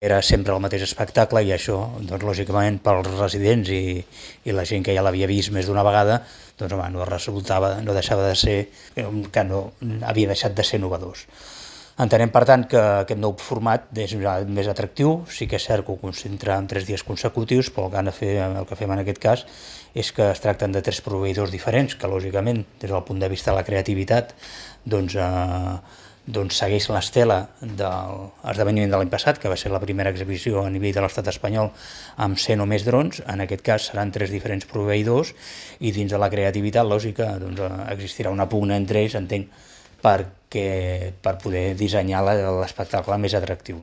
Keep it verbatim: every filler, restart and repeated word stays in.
Era sempre el mateix espectacle i això, doncs, lògicament, pels residents i, i la gent que ja l'havia vist més d'una vegada, doncs, home, no resultava, no deixava de ser, que no havia deixat de ser innovadors. Entenem, per tant, que aquest nou format és més atractiu, sí que és cert que ho concentra en tres dies consecutius, però el que, han de fer, el que fem en aquest cas és que es tracten de tres proveïdors diferents, que lògicament, des del punt de vista de la creativitat, doncs, eh, doncs segueix l'estela de l'esdeveniment de l'any passat, que va ser la primera exhibició a nivell de l'estat espanyol amb cent o més drons. En aquest cas seran tres diferents proveïdors i dins de la creativitat lògica doncs, existirà una pugna entre ells, entenc, perquè, per poder dissenyar l'espectacle més atractiu.